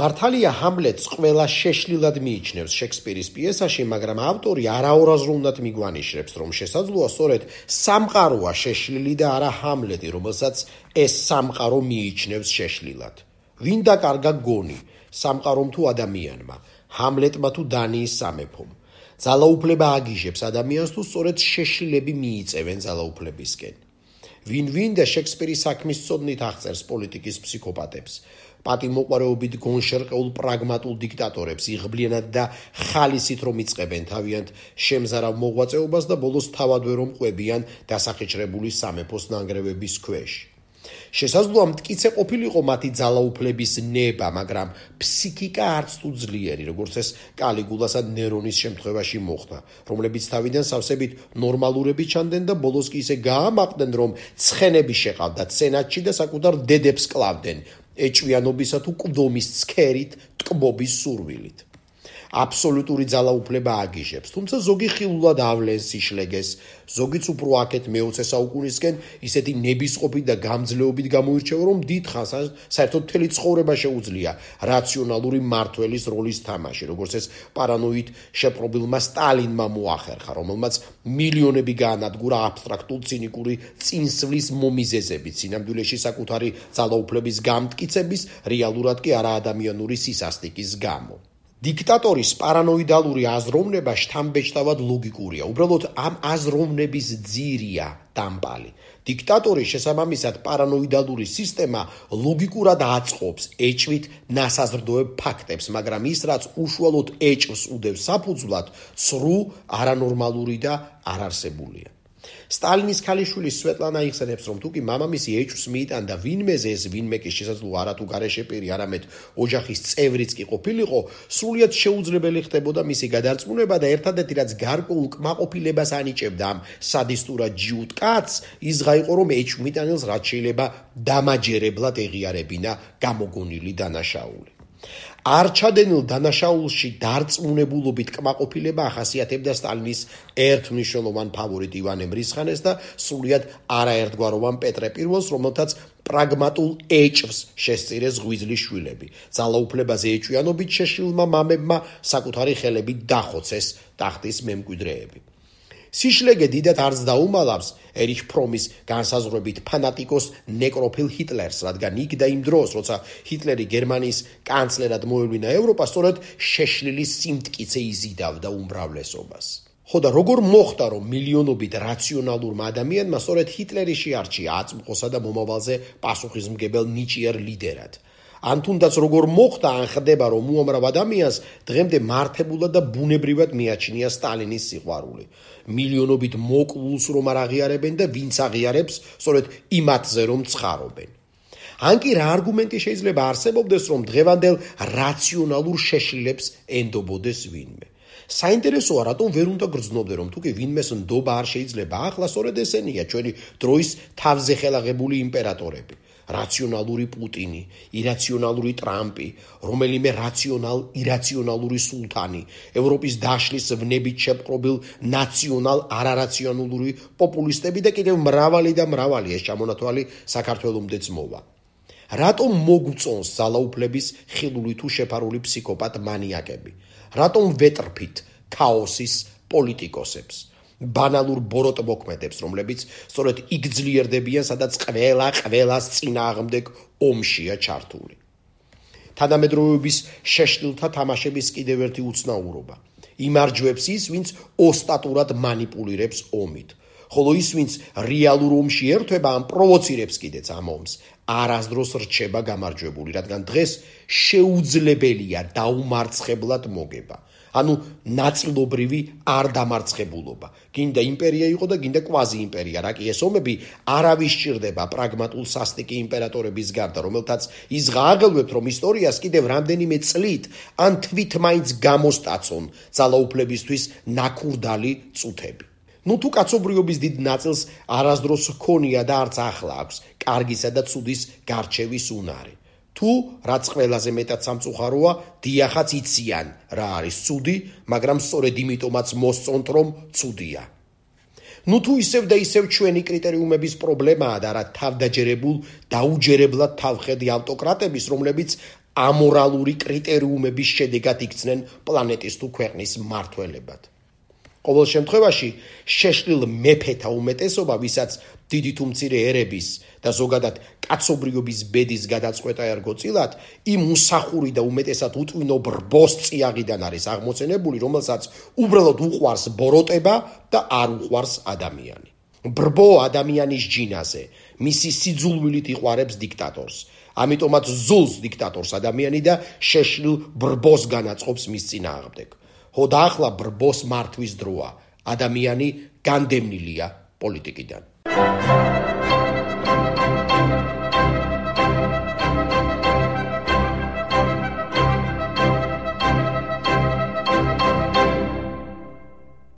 მართალია ჰამლეტს ყველა შეშლილად მიიჩნევს შექსპირის პიესაში, მაგრამ ავტორი არაორაზროვნად მიგვანიშნებს, რომ შესაძლოა სწორედ სამყაროა შეშლილი და არა ჰამლეტი, რომელსაც ეს სამყარო მიიჩნევს შეშლილად. ვინ დაკარგა გონი, სამყარომ თუ ადამიანმა, ჰამლეტმა თუ დანიის სამეფომ? ძალაუფლება აგიჟებს ადამიანს თუ სწორედ შეშლილები მიიწევენ ძალაუფლებისკენ? ვინ და შექსპირის საქმის ცოდნით აღწერს პოლიტიკის ფსიქოპატებს, პატიმოყვარეობით გონშერყეულ პრაგმატულ დიქტატორებს, იღბლიანად და ხალისით რომ იწყებენ თავიანთ შემზარავ მოღვაწეობას და ბოლოს თავადვე რომ ყვებიან დასახეჭრებული სამეფოს ნანგრევების ქვეშ. შესაძლოა მტკიცე ყოფილიყო მათი ძალაუფლების ნება, მაგრამ ფსიქიკა არც თუ ძლიერი, როგორც ეს კალიგულასა ნერონის შემთხვევაში მოხდა, რომლებიც თავიდან სავსებით ნორმალურები ჩანდნენ და ბოლოს კი ისე გაამაყდნენ, რომ ცხენები შეყავდათ სენატში და საკუთარ დედებს კლავდნენ ეჭვიანობისა თუ კვდომის ცქერით, ტკბობის სურვილით. აბსოლუტური ძალაუფლება აგიჟებს, თუმცა ზოგი ხილულად ავლენს სიშლეგეს, ზოგიც უფრო აქეთ მე-20 საუკუნისკენ ისეთი ნებისყოფით და გამძლეობით გამოირჩევა, რომ დიდხანს საერთოდ მთელი ცხოვრება შეუძლია რაციონალური მმართველის როლის თამაში, როგორც ეს პარანოიდ შეპყრობილმა სტალინმა მოახერხა, რომელმაც მილიონები გაანადგურა აბსტრაქტულ ცინიკური წინსვლის მომიზეზებით, სინამდვილეში საკუთარი ძალაუფლების გამტკიცების, რეალურად კი არაადამიანური სისასტიკის გამო. დიქტატორის პარანოიდალური აზროვნება შთამბეჭდავად ლოგიკურია, უბრალოდ ამ აზროვნების ძირია დამპალი. დიქტატორის შესაბამისად პარანოიდალური სისტემა ლოგიკურად აწყობს ეჭვით ნასაზრდოებ ფაქტებს, მაგრამ ის, რაც უშუალოდ ეჭვს უდევს საფუძვლად, ცრუ, არანორმალური და არარსებულია. სტალინის ქალიშვილი სვეტლანა იხსენებს, რომ თუკი მამამისი ეჭვს მიიტანდა ვინმეზე, ეს ვინმე კი შესაძლოა არა თუ გარეშე პირი, არამედ ოჯახის წევრიც კი ყოფილიყო, სრულიად შეუძლებელი ხდებოდა მისი გადარწმუნება და ერთადერთი რაც გარკვეულ კმაყოფილებას ანიჭებდა ამ სადისტურად ჯიუტ კაცს, ის ღაიყო, რომ ეჭვმიტანილს რაც შეიძლება დამაჯერებლად ეღიარებინა გამოგონილი დანაშაული. არჩადენილ დანაშაულში დარწმუნებულობით კმაყოფილება ახასიათებდა სტალინის ერთმნიშვნელოვან ფავორიტ ივანე მრისხანეს და სრულიად არაერთგვაროვან პეტრე პირველს, რომელთაც პრაგმატულ ეჭვს შესწირეს ღვიძლის შვილები. ძალაუფლებაზე ეჭვიანობით შეშლილმა მამებმა საკუთარი ხელებით დახოცეს ტახტის მემკვიდრეები. სიშლეგე დიდად არც დაუმალავს ერიხ ფრომის განსაზღვრებით ფანატიკოს ნეკროფილ ჰიტლერს, რადგან იქ და იმ დროს, როცა ჰიტლერი გერმანიის კანცლერად მოევლინა ევროპას, სწორედ შეშლილის სიმტკიცე იზიდავდა უმრავლესობას. ხო და როგორ მოხდა, რომ მილიონობით რაციონალურმა ადამიანმა სწორედ ჰიტლერი შეარჩია აწმყოსა და მომავალზე პასუხისმგებელ ნიჭიერ ლიდერად? ან თუნდაც როგორ მოხდა, ან ხდება, რომ უამრავ ადამიანს დღემდე მართებულად და ბუნებრივად მიაჩნია სტალინის სიყვარული. მილიონობით მოკლულს რომ არ აღიარებენ და ვინც აღიარებს, სწორედ იმათზე რომ ცხარობენ. ან კი რა არგუმენტი შეიძლება არსებობდეს, რომ დღევანდელ რაციონალურ შეშლილებს ენდობოდეს ვინმე? საინტერესოა, რატომ ვერ უნდა გრძნობდე, რომ თუკი ვინმეს ნდობა არ შეიძლება ახლა, სწორედ ესენია ჩვენი დროის თავზე ხელაღებული იმპერატორები. რაციონალური პუტინი, ირაციონალური ტრამპი, რომელიმე ირაციონალური სულთანი, ევროპის დაშლის ვნებით შეპყრობილ ნაციონალ-არარაციონალური პოპულისტები და კიდევ მრავალი ეს ჩამონათვალი საქართველომდეც მოვა. რატომ მოგწონს ძალაუფლების ხილული თუ შეფარული ფსიქოპატ მანიაკები? რატომ ვეტრფით ქაოსის პოლიტიკოსებს? ბანალურ ბოროტ მოქმედებს, რომლებიც სწორედ იქ ძლიერდებიან, სადაც ყველას წინააღმდეგ ომშია ჩართული. თანამედროვეობის შეშლილთა თამაშების კიდევ ერთი უცნაურობა. იმარჯვებს ის, ვინც ოსტატურად მანიპულირებს ომით, ხოლო ის, ვინც რეალურ ომში ერთვება, ან პროვოცირებს კიდეც ამ ომს, არასდროს რჩება გამარჯვებული, რადგან დღეს შეუძლებელია დაუმარცხებლად მოგება. ანუ ნაწილობრივი არ დამარცხებულობა. გინდა იმპერია იყო და გინდა კვაზი იმპერია, რა კი ეს ომები არავის სჭირდება პრაგმატულ სასტიკი იმპერატორების გარდა, რომელთაც ის გააღელვებთ, რომ ისტორიას კიდევ რამდენიმე წლით ან თვით მაინც გამოსტაცონ ძალაუფლებისთვის ნაქურდალი წუთები. თუ კაცობრიობის დიდ ნაწილს არასდროს ჰქონია და არც ახლა აქვს კარგისა და ცუდის გარჩევის უნარი. თუ რაც ყველაზე მეტად სამწუხაროა, დიახაც იციან რა არის ცუდი, მაგრამ სწორედ იმიტომაც მოსწონთ, რომ ცუდია. თუ ისევ და ისევ ჩვენი კრიტერიუმების პრობლემაა და რა თავდაჯერებულ, დაუჯერებლად თავხედი ავტოკრატების, რომლებიც ამორალური კრიტერიუმების შედეგად იქცნენ პლანეტის თუ ქვეყნის მმართველებად. ყოველ შემთხვევაში შეშლილ მეფეთა უმეტესობა, ვისაც დიდი თუ მცირე ერების და ზოგადად კაცობრიობის ბედის გადაწყვეტა ერგო წილად, იმ უსახური და უმეტესად უტვინო ბრბოს წიაღიდან არის აღმოცენებული, რომელსაც უბრალოდ უყვარს ბოროტება და არ უყვარს ადამიანი. ბრბო ადამიანის ჯინაზე, მისი სიძულვილით იყვარებს დიქტატორს. ამიტომაც ზულს დიქტატორს ადამიანი და შეშლილ ბრბოს განაწყობს მის წინააღმდეგ. და ახლა ბრბოს მართვის დროა. ადამიანი განდევნილია პოლიტიკიდან.